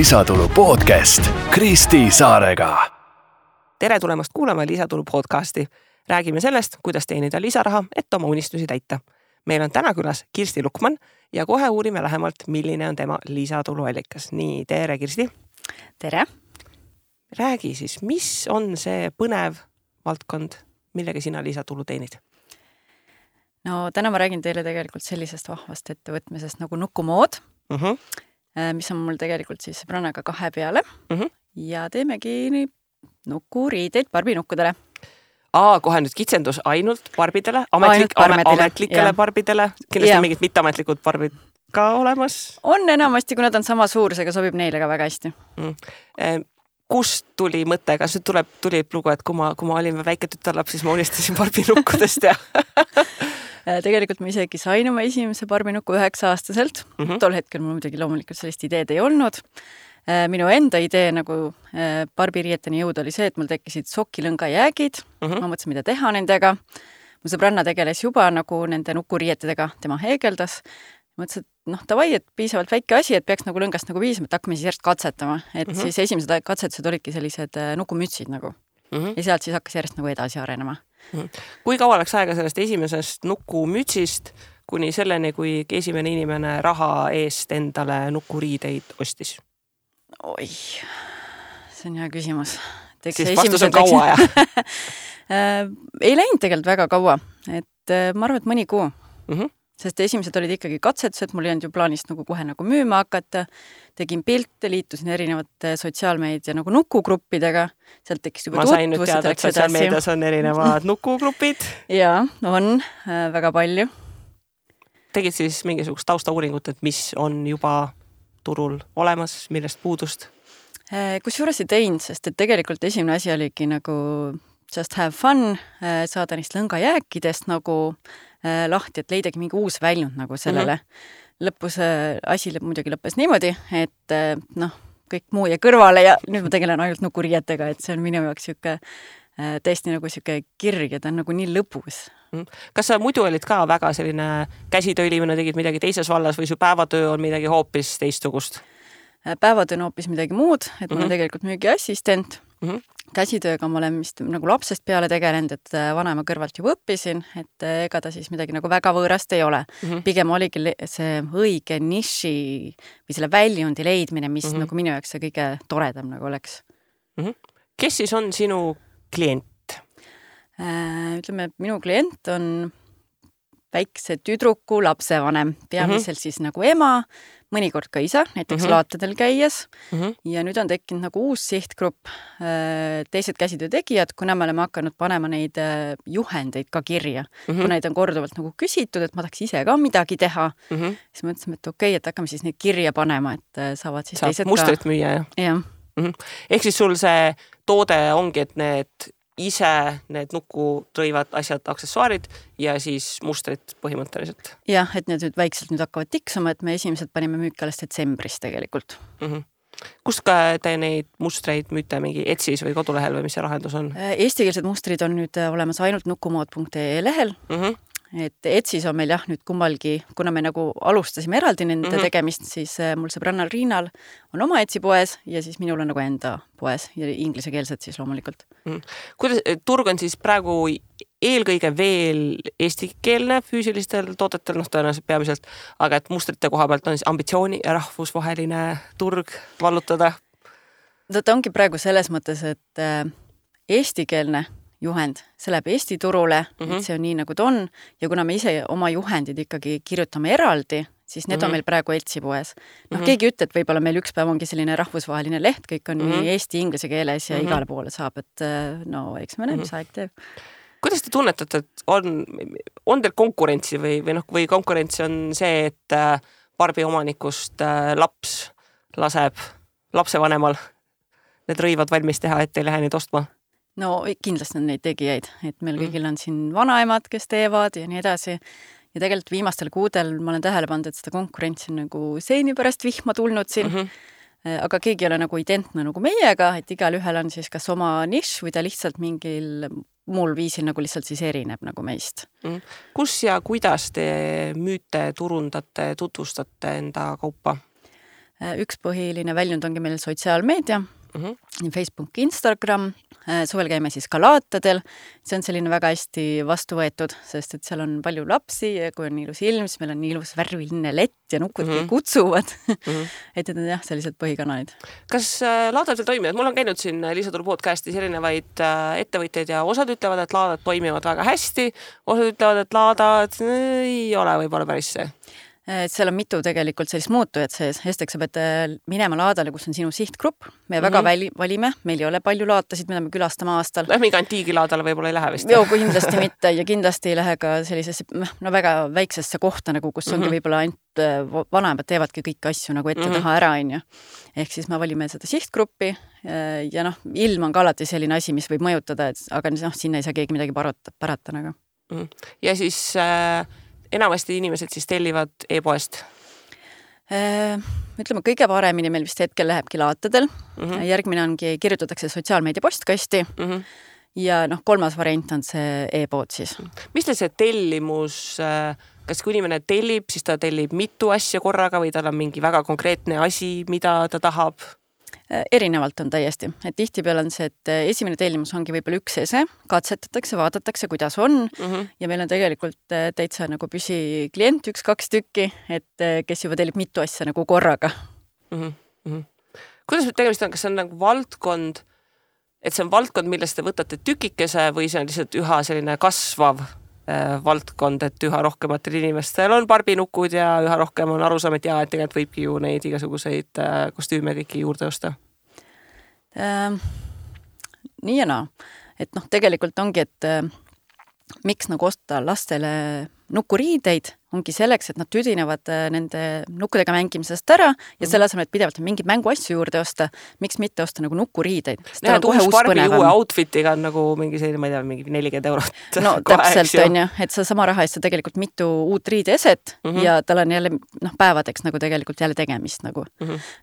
Lisatulu podcast Kristi Saarega. Tere tulemast kuulama Lisatulu podcasti. Räägime sellest, kuidas teenida lisaraha, et oma unistusi täita. Meil on täna külas Kirsti Lukman ja kohe uurime lähemalt, milline on tema lisatuluallikas. Nii, tere Kirsti. Tere. Räägi siis, mis on see põnev valdkond, millega sina lisatulu teenid? No täna ma räägin teile tegelikult sellisest vahvast ettevõtmisest nagu Nukumood, mis on mul tegelikult siis sõbrannaga 2 peale ja teemegi nukuriideid barbinukkudele. Kohe nüüd kitsendus ainult barbidele, ametlikele barbidele, kindlasti mingid mitteametlikud barbid ka olemas? On enamasti, kui nad on sama suurusega, sobib neile ka väga hästi. Kust tuli mõte, kas tuli lugu, et kui ma olin väike tütarlaps, siis ma unistasin barbinukkudest ja tegelikult ma isegi sain oma esimese barbinukku 9-aastaselt. Tol hetkel mul muidugi loomulikult sellist ideed ei olnud. Minu enda idee nagu barbiriieteni jõud oli see, et mul tekkisid sokilõngajäägid. Ma mõtlesin, mida teha nendega. Mu sõbranna tegeles juba nagu nende nukuriietedega, tema heegeldas. Mõtlesin, et davai, et piisavalt väike asi, et peaks nagu lõngast nagu piisama, et hakkame siis järjest katsetama. Et siis esimesed katsetused olidki sellised nukumütsid nagu. Ja sealt siis hakkas järjest nagu edasi arenema. Kui kaua läks aega sellest esimesest nukumütsist kuni selleni, kui esimene inimene raha eest endale nukuriideid ostis? Oi, see on hea küsimus. Siis vastus on kaua, jah? Ei läinud tegelikult väga kaua. Et ma arvan, et mõni kuu. Sest esimesed olid ikkagi katsetused, mul ei olnud ju plaanist nagu kohe nagu müüma hakata. Tegin pilte, liitusin erinevate sotsiaalmeedia nagu nukugruppidega. Sealt tekkis juba ma sain nüüd teada, et sotsiaalmeedias on erinevad nukugrupid. Jaa, on väga palju. Tegid siis mingisugust taustauuringut, et mis on juba turul olemas, millest puudust? Kusjuures ei teinud, sest et tegelikult esimene asi oligi nagu just have fun, saada neist lõngajääkidest nagu lahti, et leidagi mingi uus väljund nagu sellele. Lõpus asi muidugi lõppes niimoodi, et kõik muu jäi kõrvale ja nüüd ma tegelen ainult nukuriietega, et see on minu jaoks tõesti nagu siuke kirg ja ta on nagu nii lõbus. Kas sa muidu olid ka väga selline käsitöölimine, tegid midagi teises vallas või su päevatöö on midagi hoopis teistsugust? Päevatöö on hoopis midagi muud, et ma olen tegelikult müügiassistent. Käsitööga ma olen vist nagu lapsest peale tegelenud, et vanaema kõrvalt juba õppisin, et ega ta siis midagi nagu väga võõrast ei ole. Pigem oligi see õige niši või selle väljundi leidmine, mis nagu minu jaoks see kõige toredam nagu oleks. Kes siis on sinu klient? Ütleme, minu klient on väikse tüdruku lapsevanem, peamiselt siis nagu ema, mõnikord ka isa, näiteks laatadel käies. Ja nüüd on tekkinud nagu uus sihtgrupp, teised käsitöötegijad, kuna me oleme hakanud panema neid juhendeid ka kirja. Kui neid on korduvalt nagu küsitud, et ma tahaks ise ka midagi teha, siis mõtlesime, et okei, et hakkame siis neid kirja panema, et saavad siis teised mustrit müüa, jah? Ehk siis sul see toode ongi, et need nukurõivad asjad, aksessuaarid ja siis mustrid põhimõtteliselt. Jah, et need nüüd väikselt nüüd hakkavad tiksuma, et me esimesed panime müüki alles detsembris tegelikult. Kust ka te neid mustreid müüte mingi Etsis või kodulehel või mis see lahendus on? Eestikeelsed mustrid on nüüd olemas ainult nukumood.ee lehel. Et Etsis on meil jah nüüd kummalgi, kuna me nagu alustasime eraldi nende tegemist, siis mul sõbrannal Riinal on oma Etsi poes ja siis minul on nagu enda poes ja inglisekeelsed siis loomulikult. Kuidas turg on siis praegu eelkõige veel eestikeelne füüsilistel toodetel, tõenäoliselt peamiselt, aga et mustrite koha pealt on siis ambitsiooni ja rahvusvaheline turg vallutada? Ta ongi praegu selles mõttes, et eestikeelne juhend, see läheb Eesti turule, et see on nii nagu ta on ja kuna me ise oma juhendid ikkagi kirjutame eraldi, siis need on meil praegu Etsi poes. Keegi ütleb, et võib-olla meil üks päev ongi selline rahvusvaheline leht, kõik on nii eesti inglise keeles ja igale poole saab, et eks me näe, mis aeg teeb. Kuidas te tunnetate, et on teil konkurentsi või konkurents on see, et barbi omanikust laps laseb lapsevanemal need rõivad valmis teha, et ei lähe neid ostma? No kindlasti on neid tegijaid, et meil kõigil on siin vanaemad, kes teevad ja nii edasi. Ja tegelikult viimastel kuudel ma olen tähele pannud, et seda konkurentsi on nagu seini pärast vihma tulnud siin. Aga keegi ei ole nagu identne nagu meiega, et igal ühel on siis kas oma nišš või ta lihtsalt mingil muul viisil nagu lihtsalt siis erineb nagu meist. Kus ja kuidas te müüte, turundate, tutvustate enda kaupa? Üks põhiline väljund ongi meil sotsiaalmeedia, nii Facebook, Instagram, suvel käime siis ka laatadel, see on selline väga hästi vastu võetud, sest et seal on palju lapsi ja kui on ilus ilm, siis meil on nii ilus värviline lett ja nukud kutsuvad. Et need on jah, sellised põhikanalid. Kas laadad veel toimivad? Mul on käinud siin Liisaturu podcastis erinevaid ettevõtteid ja osad ütlevad, et laadad toimivad väga hästi, osad ütlevad, et laadad ei ole võib-olla päris see. Seal on mitu tegelikult sellist muutujat sees. Esiteks sa pead minema laadale, kus on sinu sihtgrupp. Me väga valime, meil ei ole palju laatasid, mida me külastame aastal. Mingi antiigilaadale võib-olla ei lähe vist. Joo, kindlasti mitte ja kindlasti ei lähe ka sellisesse väga väiksesse kohta, nagu, kus ongi võib-olla ainult vanemad teevadki kõiki asju nagu ette taha ära. Ehk siis me valime seda sihtgruppi ja ilm on ka alati selline asi, mis võib mõjutada, aga sinna ei saa keegi midagi parata. Nagu. Ja siis... enamasti inimesed siis tellivad e-poest? Ütleme, kõige paremini meil vist hetkel lähebki laatadel. Järgmine ongi, kirjutatakse sotsiaalmeedia postkasti ja kolmas variant on see e-pood siis. Mis see tellimus, kas kui inimene tellib, siis ta tellib mitu asja korraga või tal on mingi väga konkreetne asi, mida ta tahab? Erinevalt on täiesti. Et tihtipeale on see, et esimene tellimus ongi võib-olla üks ese, katsetatakse, vaadatakse, kuidas on ja meil on tegelikult täitsa nagu püsiklient 1-2 tükki, et kes juba tellib mitu asja nagu korraga. Kuidas tegemist on, kas see on nagu valdkond, et see on valdkond, millest te võtate tükikese või see on lihtsalt üha selline kasvav valdkond, et üha rohkematel inimestel on barbinukud ja üha rohkem on arusaam, et et tegelikult võibki ju neid igasuguseid kostüüme kõiki juurde osta? Nii ja naa. Et tegelikult ongi, et miks nagu osta lastele nukuriideid, ongi selleks, et nad tüdinevad nende nukkudega mängimisest ära ja selle asemel, et pidevalt mingid mänguasju juurde osta, miks mitte osta nagu nukuriideid. Näed, uus Barbi uue outfitiga on nagu mingi selline, ma ei tea, mingi 40 €. No täpselt on ju, et see sama raha eest tegelikult mitu uut riideeset ja tal on jälle päevadeks nagu tegelikult jälle tegemist nagu.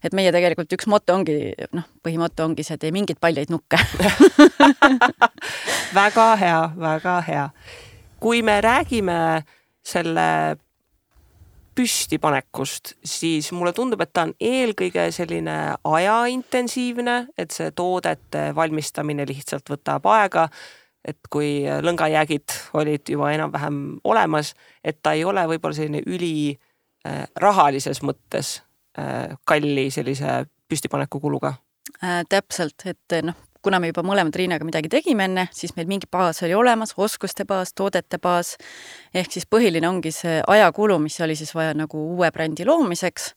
Et meie tegelikult üks moto ongi, põhimoto ongi see, et ei mingit paljaid nukke. Väga hea, väga hea. Kui me räägime selle püstipanekust, siis mulle tundub, et ta on eelkõige selline ajaintensiivne, et see toodete valmistamine lihtsalt võtab aega, et kui lõngajäägid olid juba enam-vähem olemas, et ta ei ole võib-olla selline üli rahalises mõttes kalli sellise püstipaneku kuluga. Täpselt, et kuna me juba mõlemad Riinaga midagi tegime enne, siis meil mingi baas oli olemas, oskuste baas, toodete baas, ehk siis põhiline ongi see ajakulu, mis oli siis vaja nagu uue brändi loomiseks.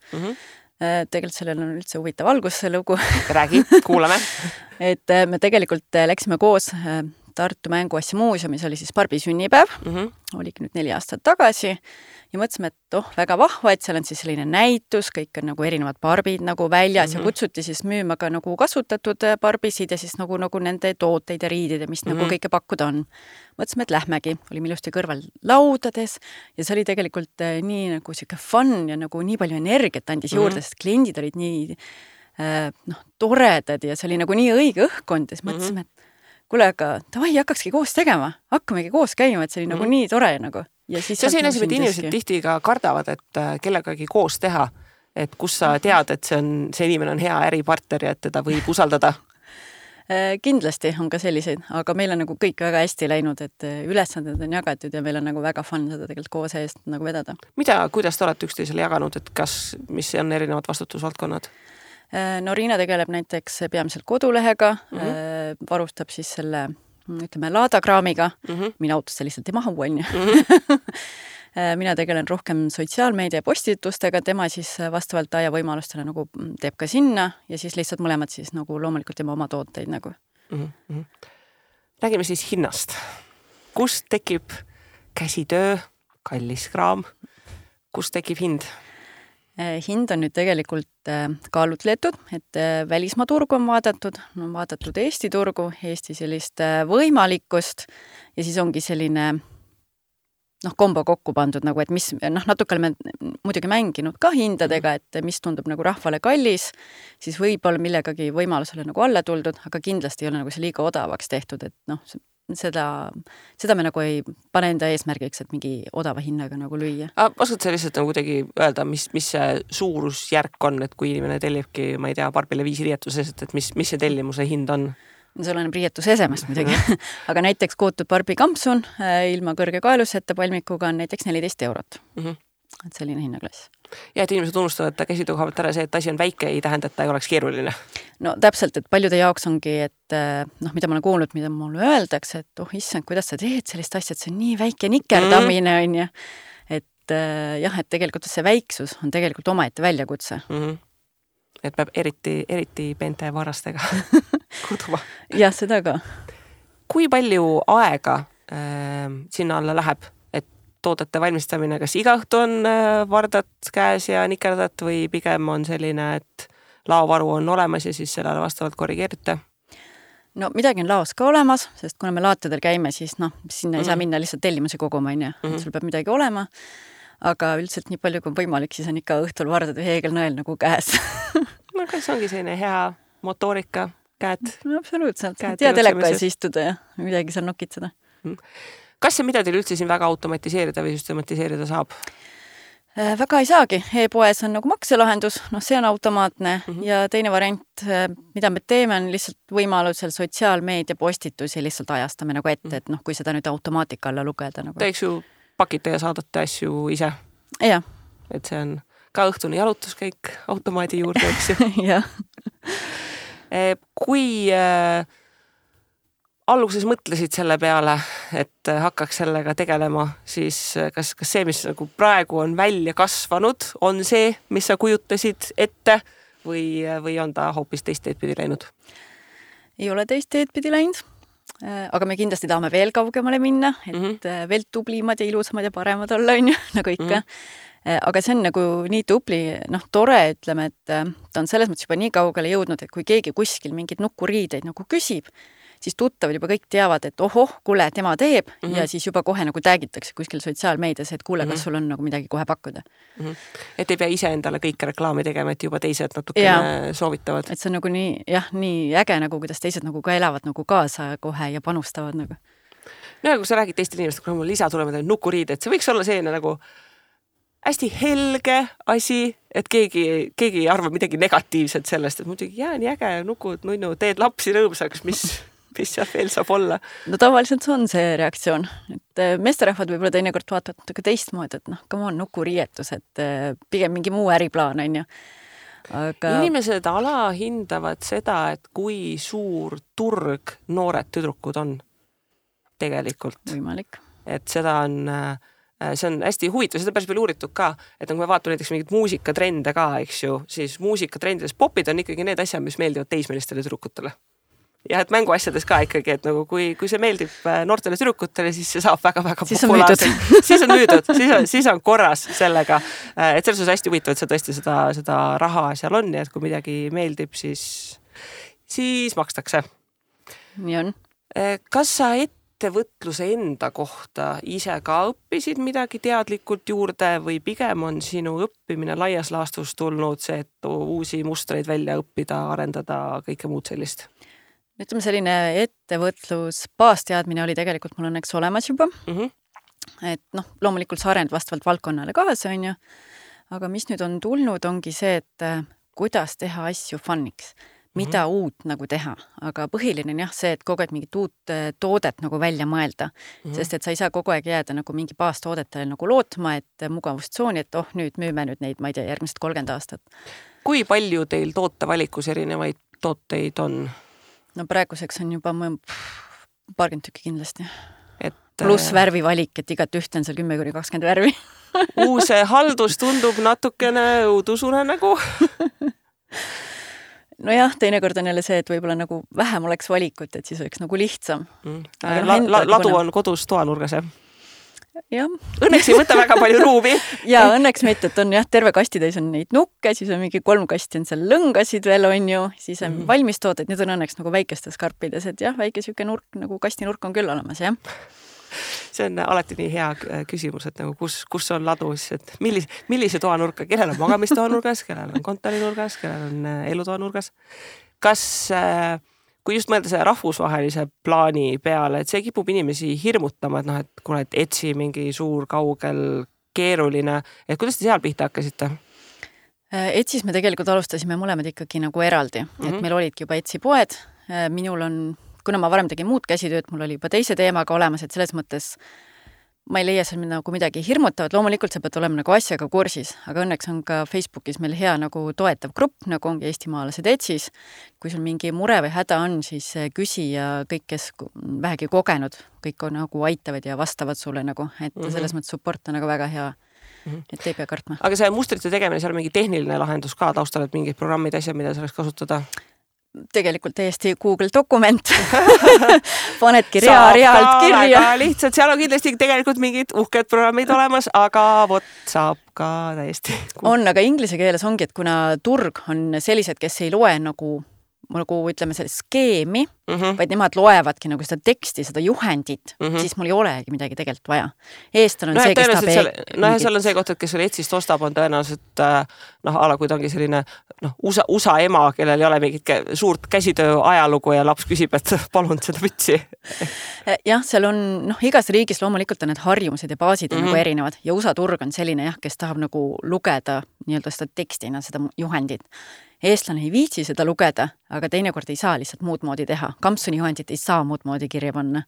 Tegelikult sellel on üldse huvitav algus see lugu. Räägi, kuulame. Et me tegelikult läksime koos Tartu Mänguasja muuseumis, oli siis Barbi sünnipäev, oligi nüüd 4 aastat tagasi ja mõtlesime, et väga vahva, et seal on siis selline näitus, kõik on nagu erinevad barbid nagu väljas ja kutsuti siis müüma ka nagu kasutatud barbisid ja siis nagu nende tooteid ja riidid ja mis nagu kõike pakkuda on. Mõtlesime, et lähmegi, olime ilusti kõrval laudades ja see oli tegelikult nii nagu siuke fun ja nagu nii palju energiat andis juurde, sest kliendid olid nii toredad ja see oli nagu nii õige õhkkond ja siis mõtlesime, et kuule, aga tavai, hakkakski koos tegema, hakkamegi koos käima, et see oli nagu nii tore nagu. Ja siis see on selline asi, et inimesed tihti ka kardavad, et kellegagi koos teha, et kus sa tead, et see inimene on hea äripartner ja et teda võib usaldada. Kindlasti on ka selliseid, aga meil on nagu kõik väga hästi läinud, et ülesanded on jagatud ja meil on nagu väga fun seda tegelikult koos eest nagu vedada. Kuidas te olete üksteisele jaganud, et mis on erinevad vastutusvaldkonnad? No Riina tegeleb näiteks peamiselt kodulehega, varustab siis selle, ütleme, laadakraamiga, mina autosse lihtsalt ei mahu, on ju. Mina tegelen rohkem sotsiaalmeedia postitustega, tema siis vastavalt aja võimalustele nagu teeb ka sinna ja siis lihtsalt mõlemad siis nagu loomulikult teeme oma tooteid nagu. Räägime siis hinnast. Kust tekib käsitöö, kallis kraam? Kust tekib hind? Hind on nüüd tegelikult kaalutletud, et välismaa turgu on vaadatud Eesti turgu, Eesti sellist võimalikkust ja siis ongi selline kombo kokku pandud, nagu, et mis, natuke oleme muidugi mänginud ka hindadega, et mis tundub nagu rahvale kallis, siis võib-olla millegagi võimalusele nagu alla tuldud, aga kindlasti ei ole nagu see liiga odavaks tehtud, et seda me nagu ei pane enda eesmärgiks, et mingi odava hinnaga nagu lüüa. Oskad sa lihtsalt nagu kuidagi öelda, mis see suurusjärk on, et kui inimene tellibki, ma ei tea, Barbile 5 riietuses, et mis see tellimuse hind on? See oleneb riietuse esemest muidugi. Aga näiteks kootud Barbi kampsun ilma kõrge kaeluseta palmikuga on näiteks 14 eurot. Et selline hinnaklass. Ja et inimesed unustavad käsitöö koha pealt ära see, et asi on väike, ei tähenda, et ta ei oleks keeruline. No täpselt, et paljude jaoks ongi, et mida ma olen kuulnud, mida mulle öeldakse, et issand, kuidas sa teed sellist asja, et see on nii väike nikerdamine on ja et jah, et tegelikult see väiksus on tegelikult omaette väljakutse. Et peab eriti peente varastega kuduma. Jah, seda ka. Kui palju aega sinna alla läheb, et toodete valmistamine, kas iga õhtu on vardad käes ja nikerdat või pigem on selline, et laovaru on olemas ja siis sellele vastavalt korrigeerite? No midagi on laos ka olemas, sest kuna me laatadel käime, siis sinna ei saa minna lihtsalt tellimusi koguma, sul peab midagi olema. Aga üldiselt nii palju kui võimalik, siis on ikka õhtul vardad või heegelnõel nagu käes. No kas ongi selline hea motoorika, käed? No absoluutselt. Tea teleka ees istuda ja midagi seal nokitseda. Kas see mida teil üldse siin väga automatiseerida või süstematiseerida saab? Väga ei saagi. E-poes on nagu makselahendus, see on automaatne ja teine variant, mida me teeme, on lihtsalt võimalusel sotsiaalmeedia postitusi lihtsalt ajastame nagu ette, et kui seda nüüd automaatika alla lugeda. Nagu. Teeks ju pakite ja saadate asju ise. Ja. Et see on ka õhtune jalutuskäik automaadi juurde, eks ju. Jah. Kui alguses mõtlesid selle peale, et hakkaks sellega tegelema, siis kas see, mis nagu praegu on välja kasvanud, on see, mis sa kujutasid ette või on ta hoopis teist teed pidi läinud? Ei ole teist teed pidi läinud. Aga me kindlasti tahame veel kaugemale minna, et veel tublimad ja ilusamad ja paremad olla, nagu ikka. Aga see on nagu nii tubli, tore, ütleme, et ta on selles mõttes juba nii kaugele jõudnud, et kui keegi kuskil mingid nukuriideid nagu küsib, siis tuttavad juba kõik teavad, et kuule, tema teeb ja siis juba kohe nagu täägitakse kuskil sotsiaalmeedias, et kuule, kas sul on nagu midagi kohe pakkuda. Et ei pea ise endale kõike reklaami tegema, et juba teised natukene soovitavad. Et see on nagu nii äge, nagu kuidas teised nagu ka elavad nagu kaasa kohe ja panustavad nagu. No kui sa räägid teistel inimestel, kui mul lisa tulema nukuriide, et see võiks olla selline nagu hästi helge asi, et keegi ei arva midagi negatiivset sellest, et muidugi nii äge, nukud, nunnu, teed lapsi rõõmsaks, mis seal veel saab olla. No tavaliselt see on see reaktsioon, et meesterahvad võib-olla teinekord vaatavad natuke teistmoodi, et come on, nukuriietus, et pigem mingi muu äriplaan on ju. Aga... Inimesed alahindavad seda, et kui suur turg noored tüdrukud on tegelikult. Võimalik. Et seda on... See on hästi huvitav, seda päris palju uuritud ka, et kui me vaatame näiteks mingid muusikatrende ka, eks ju, siis muusikatrendides popid on ikkagi need asjad, mis meeldivad teismelistele tüdrukutele. Ja et mänguasjades ka ikkagi, et nagu kui see meeldib noortele tüdrukutele, siis see saab väga-väga populaarselt. Siis on müüdud, siis on korras sellega. Et selles on hästi huvitav, et see tõesti seda raha seal on ja et kui midagi meeldib, siis makstakse. Nii on. Kas sa ettevõtluse enda kohta ise ka õppisid midagi teadlikult juurde või pigem on sinu õppimine laias laastus tulnud see, et uusi mustreid välja õppida, arendada, kõike muud sellist? Ütleme, selline ettevõtlus baasteadmine oli tegelikult mul õnneks olemas juba. Et loomulikult sa arend vastavalt valdkonnale kaasa, on ju. Aga mis nüüd on tulnud, ongi see, et kuidas teha asju funniks. Mida uut nagu teha, aga põhiline on jah see, et kogu aeg mingit uut toodet nagu välja mõelda, sest et sa ei saa kogu aeg jääda nagu mingi baastoodetele nagu lootma, et mugavustsooni, et nüüd müüme nüüd neid, ma ei tea, järgmised 30 aastat. Kui palju teil tootevalikus erinevaid tooteid on? No praeguseks on juba paarkümmend tükki kindlasti. Pluss värvivalik, et igat ühte on seal 10-20 värvi. Uus haldus tundub natukene õudusune nagu. Nojah, teinekord on jälle see, et võib-olla nagu vähem oleks valikut, et siis oleks nagu lihtsam. Ladu on kodus toanurgas, jah? Jah. Õnneks ei võta väga palju ruumi. Ja õnneks mitte, et on jah, terve kastitäis on neid nukke, siis on mingi 3 kasti on seal lõngasid veel on ju, siis on valmistooted, need on õnneks nagu väikestes karpides, et jah, väike siuke nurk, nagu kastinurk on küll olemas, jah. See on alati nii hea küsimus, et nagu kus on ladu, et millise toanurka, kellel on magamistoanurgas, kellel on kontorinurgas, kellel on elutoanurgas. Kas kui just mõelda selle rahvusvahelise plaani peale, et see kipub inimesi hirmutama, et noh, et kuna et Etsy mingi suur, kaugel, keeruline, et kuidas te seal pihta hakkasite? Etsis me tegelikult alustasime mõlemad ikkagi nagu eraldi, et meil olidki juba Etsy poed, minul on, kuna ma varem tegin muud käsitööd, mul oli juba teise teemaga olemas, et selles mõttes ma ei leia seal nagu midagi hirmutavat, loomulikult sa pead olema nagu asjaga kursis, aga õnneks on ka Facebookis meil hea nagu toetav grupp, nagu ongi eestimaalased Etsis. Kui sul mingi mure või häda on, siis küsi ja kõik, kes vähegi kogenud, kõik on nagu aitavad ja vastavad sulle nagu, et selles mõttes support on nagu väga hea. Et ei pea kartma. Aga see mustrite tegemine, seal on mingi tehniline lahendus ka taustal, et mingid programmid, asjad, mida selleks kasutada? Tegelikult täiesti Google dokument. Panedki realt kirja. Lihtsalt, seal on kindlasti tegelikult mingid uhked programmid olemas, aga vot saab ka täiesti. On, aga inglise keeles ongi, et kuna turg on sellised, kes ei loe nagu ütleme selle skeemi, vaid nemad loevadki nagu seda teksti, seda juhendit, siis mul ei olegi midagi tegelikult vaja. Eestal on see, kes tahab... seal on see koht, et kes selle Etsist ostab, on tõenäoliselt kui ta ongi selline USA ema, kellel ei ole mingit suurt käsitöö ajalugu ja laps küsib, et palun seda mütsi. Jah, seal on, igas riigis loomulikult on need harjumused ja baasid on nagu erinevad ja USA turg on selline, kes tahab nagu lugeda nii-öelda seda tekstina, seda juhendit. Eestlane ei viitsi seda lugeda, aga teinekord ei saa lihtsalt muud moodi teha. Kampsuni juhendit ei saa muud moodi kirja panna.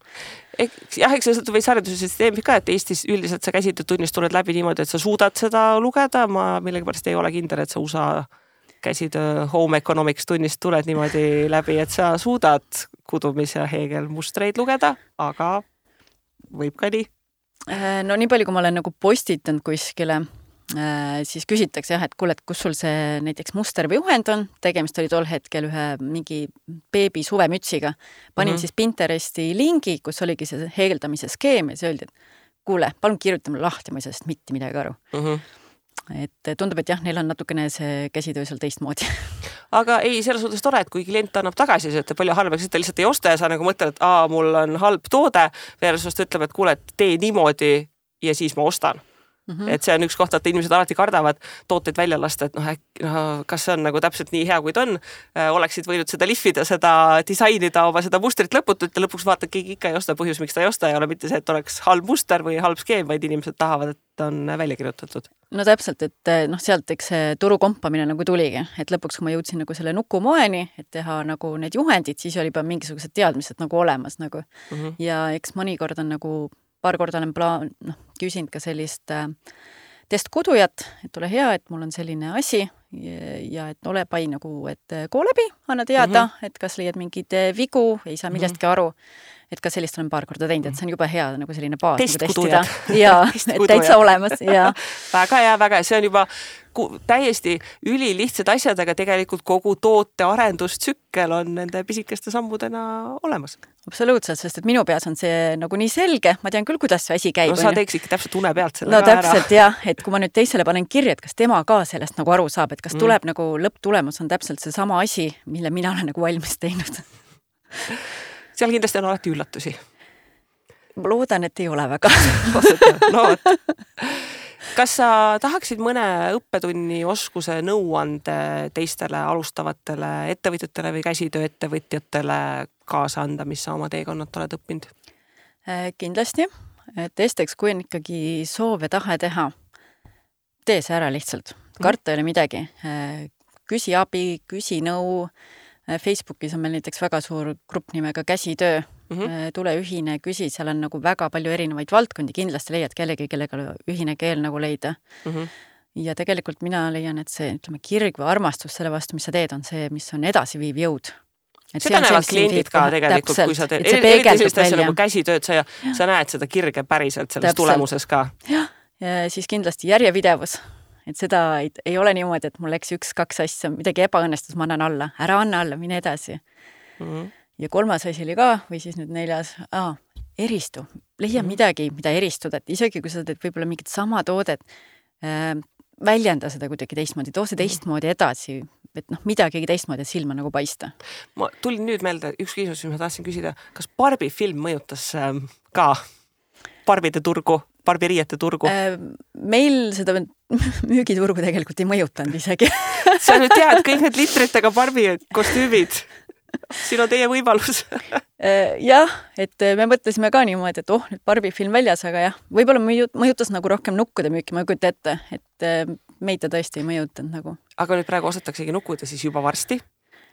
Jah, eks see võis haridussüsteemi ka, et Eestis üldiselt sa käsitöötunnist tuled läbi niimoodi, et sa suudad seda lugeda. Ma millegipärast ei ole kindel, et sa USA käsitöö home economics tunnist tuled niimoodi läbi, et sa suudad kudumis- ja heegelmustreid lugeda, aga võib ka nii. No nii palju, kui ma olen nagu postitanud kuskile, siis küsitakse jah, et kuule, et kus sul see näiteks muster või juhend on, tegemist oli tol hetkel ühe mingi beebi suvemütsiga. Panin siis Pinteresti lingi, kus oligi see heegeldamise skeem ja see öeldi, et kuule, palun kirjuta mulle lahti, ma ei saa sest mitte midagi aru. Et tundub, et jah, neil on natukene see käsitöö seal teistmoodi. Aga ei, selles suhtes tore, et kui klient annab tagasi, et palju halvaks, et ta lihtsalt ei osta ja sa nagu mõtled, et mul on halb toode versus ta ütleb, et kuule, et tee niimoodi ja siis ma ostan. Et see on üks koht, et inimesed alati kardavad tooteid välja lasta, et kas see on nagu täpselt nii hea, kui ta on, oleksid võinud seda lihvida, seda disainida, oma seda mustrit lõputult ja lõpuks vaatad, keegi ikka ei osta, põhjus, miks ta ei osta, ei ole mitte see, et oleks halb muster või halb skeem, vaid inimesed tahavad, et on välja kirjutatud. No täpselt, et sealt eks see turu kompamine nagu tuligi, et lõpuks, kui ma jõudsin nagu selle nukumoeni, et teha nagu need juhendid, siis oli juba mingisugused teadmised nagu olemas nagu. Ja eks mõnikord on nagu paar korda olen küsinud ka sellist testkudujat, et ole hea, et mul on selline asi ja et ole pai nagu, et koo läbi, anna teada, et kas leiad mingid vigu, ei saa millestki aru, et ka sellist olen paar korda teinud, et see on juba hea nagu selline baas nagu testida. Ja, et täitsa olemas. Ja. Väga hea, see on juba täiesti ülilihtsad asjad, aga tegelikult kogu toote arendustsükkel on nende pisikeste sammudena olemas. Absoluutselt, sest et minu peas on see nagu nii selge, ma tean küll, kuidas see asi käib. No sa teeks ikka täpselt une pealt selle ka ära. No täpselt jah, et kui ma nüüd teisele panen kirja, et kas tema ka sellest nagu aru saab, et kas tuleb nagu lõpptulemus on täpselt see sama asi, mille mina olen nagu valmis teinud. Seal kindlasti on alati üllatusi. Ma loodan, et ei ole väga. No, kas sa tahaksid mõne õppetunni oskuse nõuande teistele alustavatele ettevõtjatele või käsitööettevõtjatele kaasa anda, mis sa oma teekonnat oled õppinud? Kindlasti, et esiteks, kui on ikkagi soov ja tahe teha, tee see ära lihtsalt. Karta ei ole midagi. Küsi abi, küsi nõu. Facebookis on meil näiteks väga suur grupp nimega käsitöö. Tule ühine, küsi, seal on nagu väga palju erinevaid valdkondi, kindlasti leiad kellega ühine keel nagu leida. Ja tegelikult mina leian, et see kirg või armastus selle vastu, mis sa teed, on see, mis on edasiviiv jõud. Seda näevad kliendid ka tegelikult, kui sa teed sellist asja nagu käsitööd, sa näed seda kirge päriselt selles tulemuses ka. Ja siis kindlasti järjepidevus. Et seda ei ole niimoodi, et mul läks 1-2 asja, midagi ebaõnnestus, ma annan alla. Ära anna alla, mine edasi. Ja 3. asi oli ka, või siis nüüd 4. Eristu. Leia midagi, mida eristuda. Et isegi kui sa teed võib-olla mingit sama toodet, väljenda seda kuidagi teistmoodi, too see teistmoodi edasi, et midagi teistmoodi silma nagu paista. Ma tulin nüüd meelde üks küsimus, mis ma tahtsin küsida. Kas Barbi film mõjutas ka barbide turgu, barbiriiete turgu? Meil seda müügiturgu tegelikult ei mõjutanud isegi. Sa nüüd tead kõik need litritega Barbi kostüümid. siin on teie võimalus. Jah, et me mõtlesime ka niimoodi, et nüüd Barbi film väljas, aga jah, võib-olla mõjutas nagu rohkem nukkude müüki, ma ei kujuta ette, et meid ta tõesti ei mõjutanud nagu. Aga nüüd praegu ostataksegi nukkuda siis juba varsti.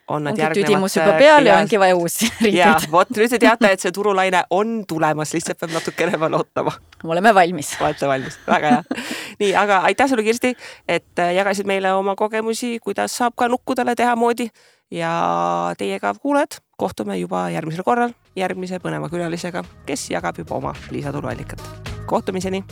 Ongi tüdimus juba peal ja ongi vaja uusi riideid. Ja, vot nüüd te teate, et see turulaine on tulemas, lihtsalt peab natukene veel ootama. Oleme valmis. Olete valmis, väga hea. Nii, aga aitäh sulle, Kirsti, et jagasid meile oma kogemusi, kuidas saab ka nukkudele teha moodi ja teiega kuuled. Kohtume juba järgmisel korral järgmise põneva külalisega, kes jagab juba oma lisatuluallikat. Kohtumiseni!